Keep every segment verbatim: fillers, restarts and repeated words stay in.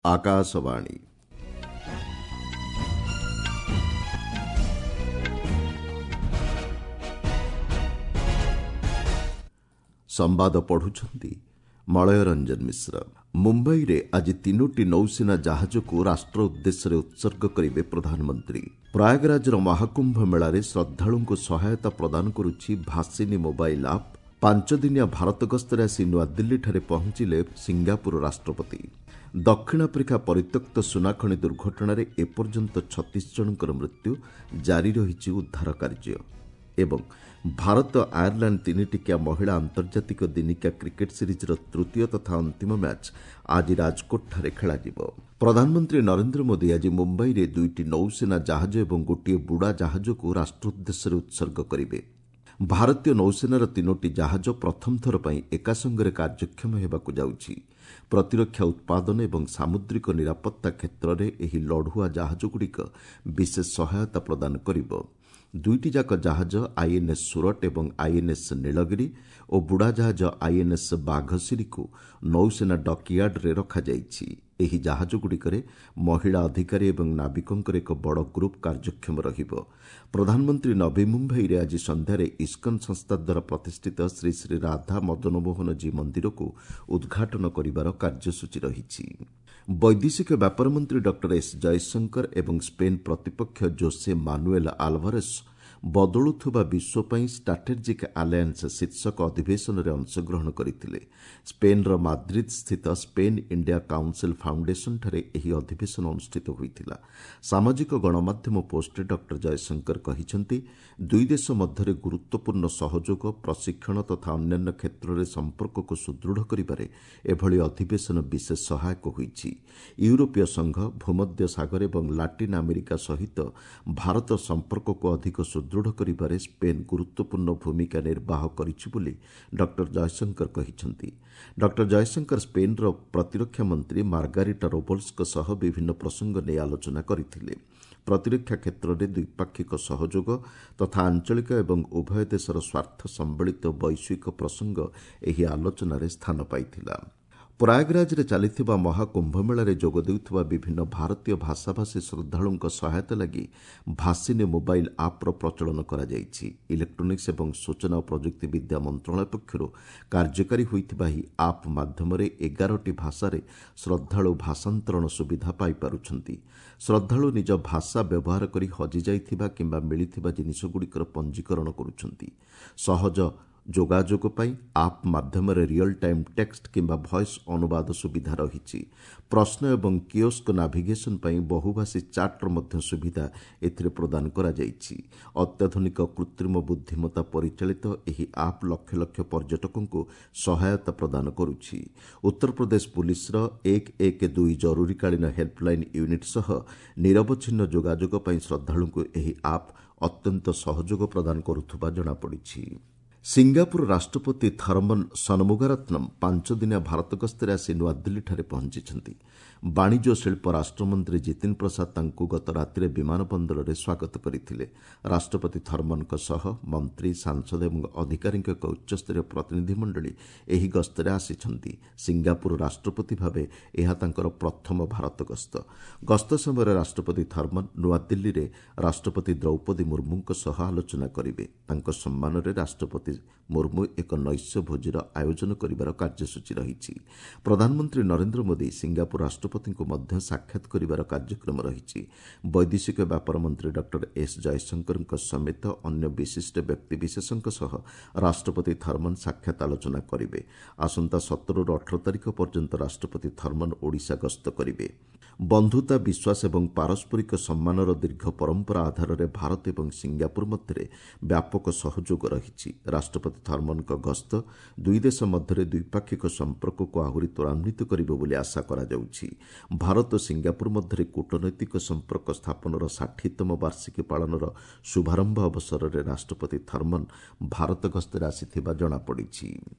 ଆକାଶବାଣୀ। ସମ୍ବାଦ ପଢୁଛନ୍ତି ମଳୟ ରଞ୍ଜନ ମିଶ୍ର। ମୁମ୍ବାଇରେ ଆଜି ତିନୋଟି ନୌସେନା ଜାହାଜକୁ ରାଷ୍ଟ୍ର ଉଦ୍ଦେଶ୍ୟରେ ଉତ୍ସର୍ଗ କରିବେ ପ୍ରଧାନମନ୍ତ୍ରୀ। ପ୍ରୟାଗରାଜର ମହାକୁମ୍ଭ ମେଳାରେ ଶ୍ରଦ୍ଧାଳୁଙ୍କୁ ସହାୟତା ପ୍ରଦାନ କରୁଛି ଭାସିନୀ ମୋବାଇଲ୍ ଆପ୍। ପାଞ୍ଚଦିନିଆ ଭାରତ ଗସ୍ତରେ ଆସି ନୂଆଦିଲ୍ଲୀଠାରେ ପହଞ୍ଚିଲେ ସିଙ୍ଗାପୁର ରାଷ୍ଟ୍ରପତି। ଦକ୍ଷିଣ ଆଫ୍ରିକା ପରିତ୍ୟକ୍ତ ସୁନାଖଣି ଦୁର୍ଘଟଣାରେ ଏପର୍ଯ୍ୟନ୍ତ ଛତିଶ ଜଣଙ୍କର ମୃତ୍ୟୁ, ଜାରି ରହିଛି ଉଦ୍ଧାର କାର୍ଯ୍ୟ। ଏବଂ ଭାରତ ଆୟାରଲାଣ୍ଡ ତିନିଟିକିଆ ମହିଳା ଆନ୍ତର୍ଜାତିକ ଦିନିକିଆ କ୍ରିକେଟ୍ ସିରିଜ୍ର ତୃତୀୟ ତଥା ଅନ୍ତିମ ମ୍ୟାଚ୍ ଆଜି ରାଜକୋଟଠାରେ ଖେଳାଯିବ। ପ୍ରଧାନମନ୍ତ୍ରୀ ନରେନ୍ଦ୍ର ମୋଦି ଆଜି ମୁମ୍ବାଇରେ ଦୁଇଟି ନୌସେନା ଜାହାଜ ଏବଂ ଗୋଟିଏ ବୁଡ଼ା ଜାହାଜକୁ ରାଷ୍ଟ୍ର ଉଦ୍ଦେଶ୍ୟରେ ଉତ୍ସର୍ଗ କରିବେ। ଭାରତୀୟ ନୌସେନାର ତିନୋଟି ଜାହାଜ ପ୍ରଥମ ଥର ପାଇଁ ଏକାସଙ୍ଗରେ କାର୍ଯ୍ୟକ୍ଷମ ହେବାକୁ ଯାଉଛି। ପ୍ରତିରକ୍ଷା ଉତ୍ପାଦନ ଏବଂ ସାମୁଦ୍ରିକ ନିରାପତ୍ତା କ୍ଷେତ୍ରରେ ଏହି ଲଢୁଆ ଜାହାଜଗୁଡ଼ିକ ବିଶେଷ ସହାୟତା ପ୍ରଦାନ କରିବ। ଦୁଇଟି ଯାକ ଜାହାଜ ଆଇଏନ୍ଏସ୍ ସୁରଟ ଏବଂ ଆଇଏନ୍ଏସ୍ ନୀଳଗିରି ଓ ବୁଡ଼ାଜାହାଜ ଆଇଏନ୍ଏସ୍ ବାଘସିରିକୁ ନୌସେନା ଡକ୍ୟାର୍ଡରେ ରଖାଯାଇଛି। ଏହି ଜାହାଜଗୁଡ଼ିକରେ ମହିଳା ଅଧିକାରୀ ଏବଂ ନାବିକଙ୍କର ଏକ ବଡ଼ ଗ୍ରୁପ୍ କାର୍ଯ୍ୟକ୍ଷମ ରହିବ। ପ୍ରଧାନମନ୍ତ୍ରୀ ନବୀ ମୁମ୍ବାଇରେ ଆଜି ସନ୍ଧ୍ୟାରେ ଇସ୍କନ ସଂସ୍ଥା ଦ୍ୱାରା ପ୍ରତିଷ୍ଠିତ ଶ୍ରୀ ଶ୍ରୀ ରାଧା ମଦନମୋହନ ଜୀ ମନ୍ଦିରକୁ ଉଦ୍ଘାଟନ କରିବାର କାର୍ଯ୍ୟସୂଚୀ ରହିଛି। ବୈଦେଶିକ ବ୍ୟାପାର ମନ୍ତ୍ରୀ ଡକ୍ଟର ଏସ୍ ଜୟଶଙ୍କର ଏବଂ ସ୍ପେନ୍ ପ୍ରତିପକ୍ଷ ଜୋସେ ମାନୁଏଲ୍ ଆଲଭାରେସ୍ ବଦଳୁଥିବା ବିଶ୍ୱ ପାଇଁ ଷ୍ଟ୍ରାଟେଜିକ୍ ଆଲାଏନ୍ସ ଶୀର୍ଷକ ଅଧିବେଶନରେ ଅଂଶଗ୍ରହଣ କରିଥିଲେ। ସ୍ପେନ୍ର ମାଦ୍ରିଦ୍ ସ୍ଥିତ ସ୍ପେନ୍ ଇଣ୍ଡିଆ କାଉନ୍ସିଲ୍ ଫାଉଣ୍ଡେସନ୍ଠାରେ ଏହି ଅଧିବେଶନ ଅନୁଷ୍ଠିତ ହୋଇଥିଲା। ସାମାଜିକ ଗଣମାଧ୍ୟମ ପୋଷ୍ଟରେ ଡକ୍ଟର ଜୟଶଙ୍କର କହିଛନ୍ତି, ଦୁଇ ଦେଶ ମଧ୍ୟରେ ଗୁରୁତ୍ୱପୂର୍ଣ୍ଣ ସହଯୋଗ, ପ୍ରଶିକ୍ଷଣ ତଥା ଅନ୍ୟାନ୍ୟ କ୍ଷେତ୍ରରେ ସମ୍ପର୍କକୁ ସୁଦୃଢ଼ କରିବାରେ ଏଭଳି ଅଧିବେଶନ ବିଶେଷ ସହାୟକ ହୋଇଛି। ୟୁରୋପୀୟ ସଂଘ, ଭୂମଧ୍ୟ ସାଗର ଏବଂ ଲାଟିନ୍ ଆମେରିକା ସହିତ ଭାରତ ସମ୍ପର୍କକୁ ଅଧିକ ସୁଦୃଢ଼ କରିବାରେ ସ୍ପେନ୍ ଗୁରୁତ୍ୱପୂର୍ଣ୍ଣ ଭୂମିକା ନିର୍ବାହ କରିଛି ବୋଲି ଡକ୍ଟର ଜୟଶଙ୍କର କହିଛନ୍ତି। ଡକ୍ଟର ଜୟଶଙ୍କର ସ୍ପେନ୍ର ପ୍ରତିରକ୍ଷା ମନ୍ତ୍ରୀ ମାର୍ଗାରିଟା ରୋବଲ୍ସଙ୍କ ସହ ବିଭିନ୍ନ ପ୍ରସଙ୍ଗ ନେଇ ଆଲୋଚନା କରିଥିଲେ। ପ୍ରତିରକ୍ଷା କ୍ଷେତ୍ରରେ ଦ୍ୱିପାକ୍ଷିକ ସହଯୋଗ ତଥା ଆଞ୍ଚଳିକ ଏବଂ ଉଭୟ ଦେଶର ସ୍ୱାର୍ଥ ସମ୍ବଳିତ ବୈଶ୍ୱିକ ପ୍ରସଙ୍ଗ ଏହି ଆଲୋଚନାରେ ସ୍ଥାନ ପାଇଥିଲା। ପ୍ରୟାଗରାଜରେ ଚାଲିଥିବା ମହାକୁମ୍ଭମେଳାରେ ଯୋଗ ଦେଉଥିବା ବିଭିନ୍ନ ଭାରତୀୟ ଭାଷାଭାଷୀ ଶ୍ରଦ୍ଧାଳୁଙ୍କ ସହାୟତା ଲାଗି ଭାସିନୀ ମୋବାଇଲ୍ ଆପ୍ର ପ୍ରଚଳନ କରାଯାଇଛି। ଇଲେକ୍ଟ୍ରୋନିକ୍ସ ଏବଂ ସୂଚନା ଓ ପ୍ରଯୁକ୍ତି ବିଦ୍ୟା ମନ୍ତ୍ରଣାଳୟ ପକ୍ଷରୁ କାର୍ଯ୍ୟକାରୀ ହୋଇଥିବା ଏହି ଆପ୍ ମାଧ୍ୟମରେ ଏଗାରଟି ଭାଷାରେ ଶ୍ରଦ୍ଧାଳୁ ଭାଷାନ୍ତରଣ ସୁବିଧା ପାଇପାରୁଛନ୍ତି। ଶ୍ରଦ୍ଧାଳୁ ନିଜ ଭାଷା ବ୍ୟବହାର କରି ହଜିଯାଇଥିବା କିମ୍ବା ମିଳିଥିବା ଜିନିଷଗୁଡ଼ିକର ପଞ୍ଜୀକରଣ କରୁଛନ୍ତି। ସହଜ ଯୋଗାଯୋଗ ପାଇଁ ଆପ୍ ମାଧ୍ୟମରେ ରିଅଲ୍ ଟାଇମ୍ ଟେକ୍ସଟ କିମ୍ବା ଭଏସ୍ ଅନୁବାଦ ସୁବିଧା ରହିଛି। ପ୍ରଶ୍ନ ଏବଂ କିଓସ୍କ ନାଭିଗେସନ୍ ପାଇଁ ବହୁଭାଷୀ ଚାଟ୍ର ମଧ୍ୟ ସୁବିଧା ଏଥିରେ ପ୍ରଦାନ କରାଯାଇଛି। ଅତ୍ୟାଧୁନିକ କୃତ୍ରିମ ବୁଦ୍ଧିମତ୍ତା ପରିଚାଳିତ ଏହି ଆପ୍ ଲକ୍ଷ ଲକ୍ଷ ପର୍ଯ୍ୟଟକଙ୍କୁ ସହାୟତା ପ୍ରଦାନ କରୁଛି। ଉତ୍ତରପ୍ରଦେଶ ପୁଲିସର ଏକ ଏକ ଦୁଇ ଜରୁରୀକାଳୀନ ହେଲ୍ପଲାଇନ୍ ୟୁନିଟ୍ ସହ ନିରବଚ୍ଛିନ୍ନ ଯୋଗାଯୋଗ ପାଇଁ ଶ୍ରଦ୍ଧାଳୁଙ୍କୁ ଏହି ଆପ୍ ଅତ୍ୟନ୍ତ ସହଯୋଗ ପ୍ରଦାନ କରୁଥିବା ଜଣାପଡ଼ିଛି। ସିଙ୍ଗାପୁର ରାଷ୍ଟ୍ରପତି ଥର୍ମନ୍ ସନମୁଗାରତ୍ନମ୍ ପାଞ୍ଚଦିନିଆ ଭାରତ ଗସ୍ତରେ ଆସି ନୂଆଦିଲ୍ଲୀଠାରେ ପହଞ୍ଚିଛନ୍ତି। ବାଣିଜ୍ୟ ଓ ଶିଳ୍ପ ରାଷ୍ଟ୍ରମନ୍ତ୍ରୀ ଜିତିନ ପ୍ରସାଦ ତାଙ୍କୁ ଗତ ରାତିରେ ବିମାନ ବନ୍ଦରରେ ସ୍ୱାଗତ କରିଥିଲେ। ରାଷ୍ଟ୍ରପତି ଥର୍ମନ୍ଙ୍କ ସହ ମନ୍ତ୍ରୀ, ସାଂସଦ ଏବଂ ଅଧିକାରୀଙ୍କ ଏକ ଉଚ୍ଚସ୍ତରୀୟ ପ୍ରତିନିଧିମଣ୍ଡଳୀ ଏହି ଗସ୍ତରେ ଆସିଛନ୍ତି। ସିଙ୍ଗାପୁର ରାଷ୍ଟ୍ରପତି ଭାବେ ଏହା ତାଙ୍କର ପ୍ରଥମ ଭାରତ ଗସ୍ତ। ଗସ୍ତ ସମୟରେ ରାଷ୍ଟ୍ରପତି ଥର୍ମନ୍ ନୂଆଦିଲ୍ଲୀରେ ରାଷ୍ଟ୍ରପତି ଦ୍ରୌପଦୀ ମୁର୍ମୁଙ୍କ ସହ ଆଲୋଚନା କରିବେ। ତାଙ୍କ ସମ୍ମାନରେ ରାଷ୍ଟ୍ରପତି ମୁର୍ମୁ ଏକ ନୈଶ୍ୟ ଭୋଜିର ଆୟୋଜନ କରିବାର କାର୍ଯ୍ୟସୂଚୀ ରହିଛି। ପ୍ରଧାନମନ୍ତ୍ରୀ ନରେନ୍ଦ୍ର ମୋଦି ସିଙ୍ଗାପୁର ରାଷ୍ଟ୍ରପତିଙ୍କୁ ମଧ୍ୟ ସାକ୍ଷାତ କରିବାର କାର୍ଯ୍ୟକ୍ରମ ରହିଛି। ବୈଦେଶିକ ବ୍ୟାପାର ମନ୍ତ୍ରୀ ଡକ୍ଟର ଏସ୍ ଜୟଶଙ୍କରଙ୍କ ସମେତ ଅନ୍ୟ ବିଶିଷ୍ଟ ବ୍ୟକ୍ତିବିଶେଷଙ୍କ ସହ ରାଷ୍ଟ୍ରପତି ଥର୍ମନ୍ ସାକ୍ଷାତ ଆଲୋଚନା କରିବେ। ଆସନ୍ତା ସତରରୁ ଅଠର ତାରିଖ ପର୍ଯ୍ୟନ୍ତ ରାଷ୍ଟ୍ରପତି ଥର୍ମନ୍ ଓଡ଼ିଶା ଗସ୍ତ କରିବେ। ବନ୍ଧୁତା, ବିଶ୍ୱାସ ଏବଂ ପାରସ୍ପରିକ ସମ୍ମାନର ଦୀର୍ଘ ପରମ୍ପରା ଆଧାରରେ ଭାରତ ଏବଂ ସିଙ୍ଗାପୁର ମଧ୍ୟରେ ବ୍ୟାପକ ସହଯୋଗ ରହିଛି। ରାଷ୍ଟ୍ରପତି ଥର୍ମନ୍ଙ୍କ ଗସ୍ତ ଦୁଇ ଦେଶ ମଧ୍ୟରେ ଦ୍ୱିପାକ୍ଷିକ ସମ୍ପର୍କକୁ ଆହୁରି ତ୍ୱରାନ୍ୱିତ କରିବ ବୋଲି ଆଶା କରାଯାଉଛି। ଭାରତ ଓ ସିଙ୍ଗାପୁର ମଧ୍ୟରେ କୂଟନୈତିକ ସମ୍ପର୍କ ସ୍ଥାପନର ଷାଠିଏତମ ବାର୍ଷିକୀ ପାଳନର ଶୁଭାରମ୍ଭ ଅବସରରେ ରାଷ୍ଟ୍ରପତି ଥର୍ମନ୍ ଭାରତ ଗସ୍ତରେ ଆସିଥିବା ଜଣାପଡ଼ିଛି।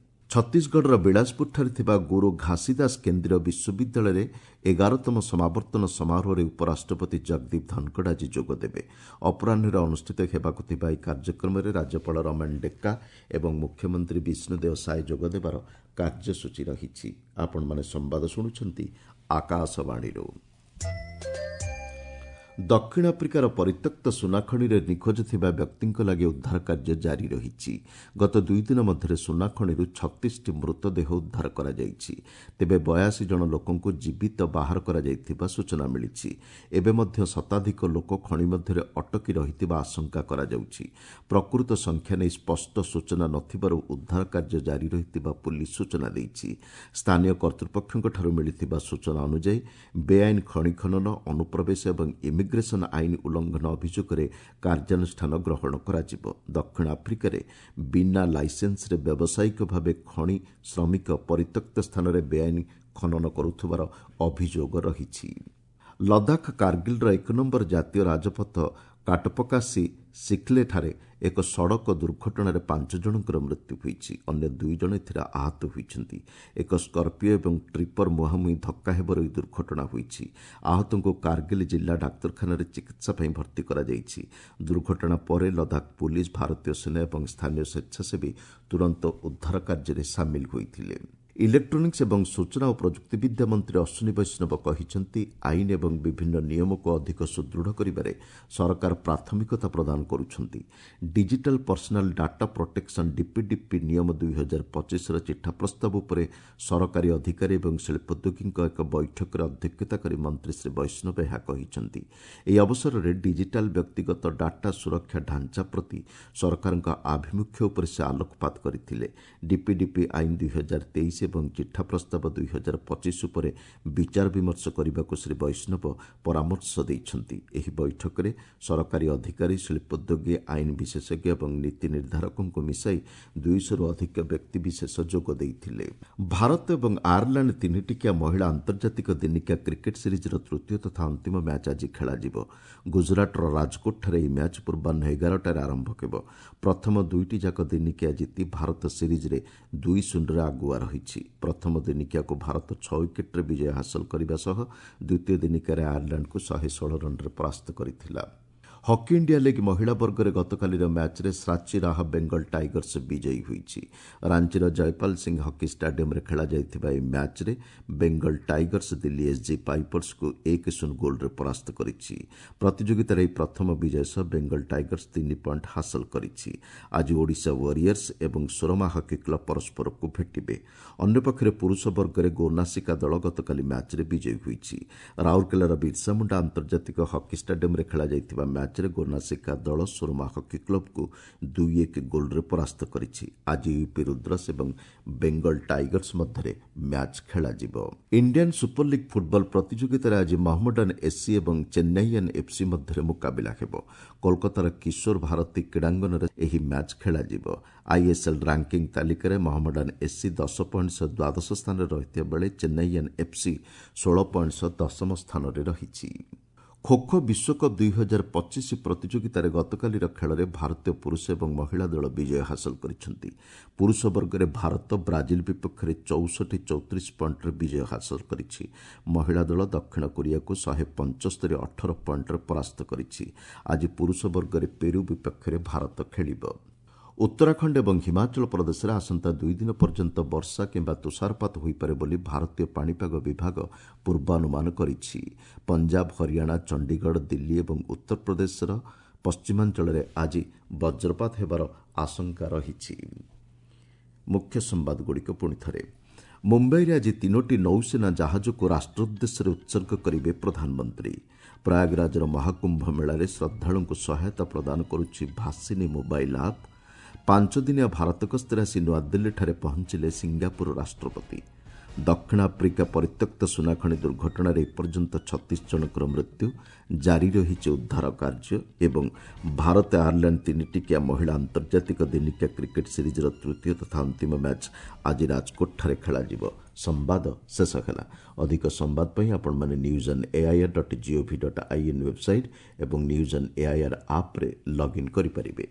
ଛତିଶଗଡ଼ର ବିଳାସପୁରଠାରେ ଥିବା ଗୁରୁ ଘାସିଦାସ କେନ୍ଦ୍ରୀୟ ବିଶ୍ୱବିଦ୍ୟାଳୟରେ ଏଗାରତମ ସମାବର୍ତ୍ତନ ସମାରୋହରେ ଉପରାଷ୍ଟ୍ରପତି ଜଗଦୀପ ଧନଖଡ଼ ଆଜି ଯୋଗଦେବେ। ଅପରାହ୍ନରେ ଅନୁଷ୍ଠିତ ହେବାକୁ ଥିବା ଏହି କାର୍ଯ୍ୟକ୍ରମରେ ରାଜ୍ୟପାଳ ରମେଣ ଡେକା ଏବଂ ମୁଖ୍ୟମନ୍ତ୍ରୀ ବିଷ୍ଣୁଦେଓ ସାଏ ଯୋଗଦେବାର କାର୍ଯ୍ୟସୂଚୀ ରହିଛି। ଆପଣମାନେ ସମ୍ବାଦ ଶୁଣୁଛନ୍ତି ଆକାଶବାଣୀରୁ। ଦକ୍ଷିଣ ଆଫ୍ରିକାର ପରିତ୍ୟକ୍ତ ସୁନାଖଣିରେ ନିଖୋଜ ଥିବା ବ୍ୟକ୍ତିଙ୍କ ଲାଗି ଉଦ୍ଧାର କାର୍ଯ୍ୟ ଜାରି ରହିଛି। ଗତ ଦୁଇ ଦିନ ମଧ୍ୟରେ ସୁନାଖଣିରୁ ଛତିଶଟି ମୃତଦେହ ଉଦ୍ଧାର କରାଯାଇଛି। ତେବେ ବୟାଅଶୀ ଜଣ ଲୋକଙ୍କୁ ଜୀବିତ ବାହାର କରାଯାଇଥିବା ସୂଚନା ମିଳିଛି। ଏବେ ମଧ୍ୟ ଶତାଧିକ ଲୋକ ଖଣି ମଧ୍ୟରେ ଅଟକି ରହିଥିବା ଆଶଙ୍କା କରାଯାଉଛି। ପ୍ରକୃତ ସଂଖ୍ୟା ନେଇ ସ୍ପଷ୍ଟ ସୂଚନା ନଥିବାରୁ ଉଦ୍ଧାର କାର୍ଯ୍ୟ ଜାରି ରହିଥିବା ପୁଲିସ୍ ସୂଚନା ଦେଇଛି। ସ୍ଥାନୀୟ କର୍ତ୍ତୃପକ୍ଷଙ୍କଠାରୁ ମିଳିଥିବା ସୂଚନା ଅନୁଯାୟୀ ବେଆଇନ ଖଣି ଖନନ, ଅନୁପ୍ରବେଶ ଏବଂ ଇମିଗ୍ରେସନ ଆଇନ ଉଲ୍ଲଂଘନ ଅଭିଯୋଗରେ କାର୍ଯ୍ୟାନୁଷ୍ଠାନ ଗ୍ରହଣ କରାଯିବ। ଦକ୍ଷିଣ ଆଫ୍ରିକାରେ ବିନା ଲାଇସେନ୍ସରେ ବ୍ୟବସାୟିକ ଭାବେ ଖଣି ଶ୍ରମିକ ପରିତ୍ୟକ୍ତ ସ୍ଥାନରେ ବେଆଇନ ଖନନ କରୁଥିବାର ଅଭିଯୋଗ ରହିଛି। ଲଦାଖ କାର୍ଗିଲ୍ର ଏକ ନମ୍ବର ଜାତୀୟ ରାଜପଥ କାଟପକାଶି ସିଖ୍ଲେଠାରେ ଏକ ସଡ଼କ ଦୁର୍ଘଟଣାରେ ପାଞ୍ଚ ଜଣଙ୍କର ମୃତ୍ୟୁ ହୋଇଛି। ଅନ୍ୟ ଦୁଇ ଜଣ ଏଥିରେ ଆହତ ହୋଇଛନ୍ତି। ଏକ ସ୍କର୍ପିଓ ଏବଂ ଟ୍ରିପର ମୁହାଁମୁହିଁ ଧକ୍କା ହେବାରୁ ଏହି ଦୁର୍ଘଟଣା ହୋଇଛି। ଆହତଙ୍କୁ କାର୍ଗିଲ୍ ଜିଲ୍ଲା ଡାକ୍ତରଖାନାରେ ଚିକିତ୍ସା ପାଇଁ ଭର୍ତ୍ତି କରାଯାଇଛି। ଦୁର୍ଘଟଣା ପରେ ଲଦାଖ ପୁଲିସ୍, ଭାରତୀୟ ସେନା ଏବଂ ସ୍ଥାନୀୟ ସ୍ୱେଚ୍ଛାସେବୀ ତୁରନ୍ତ ଉଦ୍ଧାର କାର୍ଯ୍ୟରେ ସାମିଲ ହୋଇଥିଲେ। ଇଲେକ୍ଟ୍ରୋନିକ୍ସ ଏବଂ ସୂଚନା ଓ ପ୍ରଯୁକ୍ତିବିଦ୍ୟା ମନ୍ତ୍ରୀ ଅଶ୍ୱିନୀ ବୈଷ୍ଣବ କହିଛନ୍ତି, ଆଇନ ଏବଂ ବିଭିନ୍ନ ନିୟମକୁ ଅଧିକ ସୁଦୃଢ଼ କରିବାରେ ସରକାର ପ୍ରାଥମିକତା ପ୍ରଦାନ କରୁଛନ୍ତି। Digital personal data protection DPDP ନିୟମ ଦୁଇ ହଜାର ପଚିଶର ଚିଠା ପ୍ରସ୍ତାବ ଉପରେ ସରକାରୀ ଅଧିକାରୀ ଏବଂ ଶିଳ୍ପୋଦ୍ୟୋଗୀଙ୍କ ଏକ ବୈଠକରେ ଅଧ୍ୟକ୍ଷତା କରି ମନ୍ତ୍ରୀ ଶ୍ରୀ ବୈଷ୍ଣବ ଏହା କହିଛନ୍ତି। ଏହି ଅବସରରେ ଡିଜିଟାଲ ବ୍ୟକ୍ତିଗତ ଡାଟା ସୁରକ୍ଷା ଢାଞ୍ଚା ପ୍ରତି ସରକାରଙ୍କ ଆଭିମୁଖ୍ୟ ଉପରେ ସେ ଆଲୋକପାତ କରିଥିଲେ। ଡିପିଡିପି ଆଇନ ଦୁଇ ହଜାର ତେଇଶ ଏବଂ ଚିଠା ପ୍ରସ୍ତାବ ଦୁଇ ହଜାର ପଚିଶ ଉପରେ ବିଚାର ବିମର୍ଶ କରିବାକୁ ଶ୍ରୀ ବୈଷ୍ଣବ ପରାମର୍ଶ ଦେଇଛନ୍ତି। ଏହି ବୈଠକରେ ସରକାରୀ ଅଧିକାରୀ, ଶିଳ୍ପୋଦ୍ୟୋଗୀ, ଆଇନ ବିଶେଷଜ୍ଞ ଏବଂ ନୀତି ନିର୍ଦ୍ଧାରକଙ୍କୁ ମିଶାଇ ଦୁଇଶହରୁ ଅଧିକ ବ୍ୟକ୍ତିବିଶେଷ ଯୋଗ ଦେଇଥିଲେ। ଭାରତ ଏବଂ ଆୟାରଲାଣ୍ଡ ତିନିଟିକିଆ ମହିଳା ଆନ୍ତର୍ଜାତିକ ଦିନିକିଆ କ୍ରିକେଟ୍ ସିରିଜ୍ର ତୃତୀୟ ତଥା ଅନ୍ତିମ ମ୍ୟାଚ୍ ଆଜି ଖେଳାଯିବ। ଗୁଜରାଟର ରାଜକୋଟଠାରେ ଏହି ମ୍ୟାଚ୍ ପୂର୍ବାହ୍ନ ଏଗାରଟାରେ ଆରମ୍ଭ ହେବ। ପ୍ରଥମ ଦୁଇଟି ଯାକ ଦିନିକିଆ ଜିତି ଭାରତ ସିରିଜ୍ରେ ଦୁଇ ଶୂନରେ ଆଗୁଆ ରହିଛି। ପ୍ରଥମ ଦିନିକିଆକୁ ଭାରତ ଛଅ ୱିକେଟ୍ରେ ବିଜୟ ହାସଲ କରିବା ସହ ଦ୍ୱିତୀୟ ଦିନିକିଆରେ ଆୟାରଲାଣ୍ଡକୁ ଶହେ ଷୋହଳ ରନ୍ରେ ପରାସ୍ତ କରିଥିଲା। ହକି ଇଣ୍ଡିଆ ଲିଗ୍ ମହିଳା ବର୍ଗରେ ଗତକାଲିର ମ୍ୟାଚ୍ରେ ଶ୍ରାଚୀ ରାହା ବେଙ୍ଗଲ ଟାଇଗର୍ସ ବିଜୟୀ ହୋଇଛି। ରାଞ୍ଚିର ଜୟପାଲ ସିଂ ହକି ଷ୍ଟାଡିୟମରେ ଖେଳାଯାଇଥିବା ଏହି ମ୍ୟାଚ୍ରେ ବେଙ୍ଗଲ ଟାଇଗର୍ସ ଦିଲ୍ଲୀ ଏସ୍ଜି ପାଇପର୍ସକୁ ଏକ ଶୂନ ଗୋଲ୍ରେ ପରାସ୍ତ କରିଛି। ପ୍ରତିଯୋଗିତାରେ ଏହି ପ୍ରଥମ ବିଜୟ ସହ ବେଙ୍ଗଲ ଟାଇଗର୍ସ ତିନି ପଏଣ୍ଟ ହାସଲ କରିଛି। ଆଜି ଓଡ଼ିଶା ୱାରିୟର୍ସ ଏବଂ ସୁରମା ହକି କ୍ଲବ ପରସ୍ପରକୁ ଭେଟିବେ। ଅନ୍ୟପକ୍ଷରେ ପୁରୁଷ ବର୍ଗରେ ଗୋନାସିକା ଦଳ ଗତକାଲି ମ୍ୟାଚ୍ରେ ବିଜୟୀ ହୋଇଛି। ରାଉରକେଲାର ବିର୍ସା ମୁଣ୍ଡା ଆନ୍ତର୍ଜାତିକ ହକି ଷ୍ଟାଡିୟମରେ ଖେଳାଯାଇଥିବା ମ୍ୟାଚ୍ ମ୍ୟାଚ୍ରେ ଗୋନାସିକା ଦଳ ସୁରମା ହକି କ୍ଲବକୁ ଦୁଇ ଏକ ଗୋଲ୍ରେ ପରାସ୍ତ କରିଛି। ଆଜି ୟୁପି ରୁଦ୍ରସ୍ ଏବଂ ବେଙ୍ଗଲ ଟାଇଗର୍ସ ମଧ୍ୟରେ ମ୍ୟାଚ୍ ଖେଳାଯିବ। ଇଣ୍ଡିଆନ୍ ସୁପର ଲିଗ୍ ଫୁଟବଲ ପ୍ରତିଯୋଗିତାରେ ଆଜି ମହମ୍ମଡାନ ଏସ୍ସି ଏବଂ ଚେନ୍ନାଇଆନ୍ ଏଫ୍ସି ମଧ୍ୟରେ ମୁକାବିଲା ହେବ। କୋଲକାତାର କିଶୋର ଭାରତୀ କ୍ରୀଡ଼ାଙ୍ଗନରେ ଏହି ମ୍ୟାଚ୍ ଖେଳାଯିବ। ଆଇଏସ୍ଏଲ୍ ରାଙ୍କିଂ ତାଲିକାରେ ମହମ୍ମଡାନ ଏସ୍ସି ଦଶ ପଏଣ୍ଟ ସହ ଦ୍ୱାଦଶ ସ୍ଥାନରେ ରହିଥିବା ବେଳେ ଚେନ୍ନାଇଆନ୍ ଏଫ୍ସି ଷୋହଳ ପଏଣ୍ଟ ସହ ଦଶମ ସ୍ଥାନରେ ରହିଛି। ଖୋଖୋ ବିଶ୍ୱକପ୍ ଦୁଇ ହଜାର ପଚିଶ ପ୍ରତିଯୋଗିତାରେ ଗତକାଲିର ଖେଳରେ ଭାରତୀୟ ପୁରୁଷ ଏବଂ ମହିଳା ଦଳ ବିଜୟ ହାସଲ କରିଛନ୍ତି। ପୁରୁଷ ବର୍ଗରେ ଭାରତ ବ୍ରାଜିଲ ବିପକ୍ଷରେ ଚଉଷଠି ଚଉତିରିଶ ପଏଣ୍ଟରେ ବିଜୟ ହାସଲ କରିଛି। ମହିଳା ଦଳ ଦକ୍ଷିଣ କୋରିଆକୁ ଶହେ ପଞ୍ଚସ୍ତରୀ ଅଠର ପଏଣ୍ଟରେ ପରାସ୍ତ କରିଛି। ଆଜି ପୁରୁଷ ବର୍ଗରେ ପେରୁ ବିପକ୍ଷରେ ଭାରତ ଖେଳିବ। ଉତ୍ତରାଖଣ୍ଡ ଏବଂ ହିମାଚଳ ପ୍ରଦେଶରେ ଆସନ୍ତା ଦୁଇ ଦିନ ପର୍ଯ୍ୟନ୍ତ ବର୍ଷା କିମ୍ବା ତୁଷାରପାତ ହୋଇପାରେ ବୋଲି ଭାରତୀୟ ପାଣିପାଗ ବିଭାଗ ପୂର୍ବାନୁମାନ କରିଛି। ପଞ୍ଜାବ, ହରିୟାଣା, ଚଣ୍ଡିଗଡ଼, ଦିଲ୍ଲୀ ଏବଂ ଉତ୍ତରପ୍ରଦେଶର ପଶ୍ଚିମାଞ୍ଚଳରେ ଆଜି ବଜ୍ରପାତ ହେବାର ଆଶଙ୍କା ରହିଛି। ମୁଖ୍ୟ ସମ୍ବାଦଗୁଡ଼ିକ ପୁଣି ଥରେ। ମୁମ୍ବାଇରେ ଆଜି ତିନୋଟି ନୌସେନା ଜାହାଜକୁ ରାଷ୍ଟ୍ର ଉଦ୍ଦେଶ୍ୟରେ ଉତ୍ସର୍ଗ କରିବେ ପ୍ରଧାନମନ୍ତ୍ରୀ। ପ୍ରୟାଗରାଜର ମହାକୁମ୍ଭ ମେଳାରେ ଶ୍ରଦ୍ଧାଳୁଙ୍କୁ ସହାୟତା ପ୍ରଦାନ କରୁଛି ଭାସିନୀ ମୋବାଇଲ୍ ଆପ୍। ପାଞ୍ଚଦିନିଆ ଭାରତ ଗସ୍ତରେ ଆସି ନୂଆଦିଲ୍ଲୀଠାରେ ପହଞ୍ଚିଲେ ସିଙ୍ଗାପୁର ରାଷ୍ଟ୍ରପତି। ଦକ୍ଷିଣ ଆଫ୍ରିକା ପରିତ୍ୟକ୍ତ ସୁନାଖଣି ଦୁର୍ଘଟଣାରେ ଏପର୍ଯ୍ୟନ୍ତ ଛତିଶ ଜଣଙ୍କର ମୃତ୍ୟୁ, ଜାରି ରହିଛି ଉଦ୍ଧାର କାର୍ଯ୍ୟ। ଏବଂ ଭାରତ ଆୟାରଲାଣ୍ଡ ତିନିଟିକିଆ ମହିଳା ଆନ୍ତର୍ଜାତିକ ଦିନିକିଆ କ୍ରିକେଟ୍ ସିରିଜ୍ର ତୃତୀୟ ତଥା ଅନ୍ତିମ ମ୍ୟାଚ୍ ଆଜି ରାଜକୋଟଠାରେ ଖେଳାଯିବ। ସମ୍ବାଦ ଶେଷ ହେଲା। ଅଧିକ ସମ୍ବାଦ ପାଇଁ ଆପଣମାନେ news on AIR dot GOV dot IN website ଏବଂ ନ୍ୟୁଜ୍ ଅନ୍ ଏଆଇଆର୍ ଆପ୍ରେ ଲଗ୍ଇନ୍ କରିପାରିବେ।